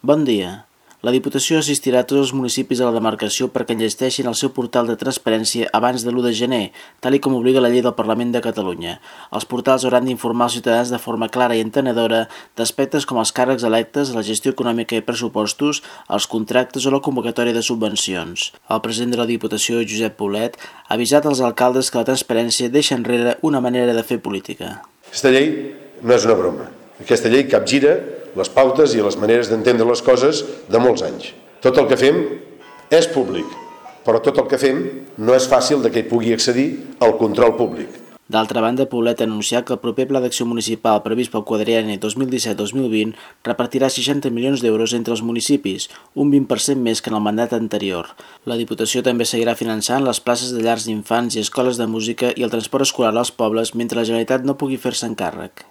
Bon dia. La Diputació assistirà a tots els municipis de la demarcació perquè enllesteixin el seu portal de transparència abans de l'1 de gener, tal com obliga la llei del Parlament de Catalunya. Els portals hauran d'informar als ciutadans de forma clara i entenedora d'aspectes com els càrrecs electes, la gestió econòmica i pressupostos, els contractes o la convocatòria de subvencions. El president de la Diputació, Josep Poblet, ha avisat als alcaldes que la transparència deixa enrere una manera de fer política. Aquesta llei no és una broma. Aquesta llei capgira les pautes i les maneres d'entendre les coses de molts anys. Tot el que fem és públic, però tot el que fem no és fàcil que hi pugui accedir al control públic. D'altra banda, Poblet ha anunciat que el proper Pla d'Acció Municipal previst pel quadrienni 2017-2020 repartirà 60 milions d'euros entre els municipis, un 20% més que en el mandat anterior. La Diputació també seguirà finançant les places de llars d'infants i escoles de música i el transport escolar als pobles mentre la Generalitat no pugui fer-se'n càrrec.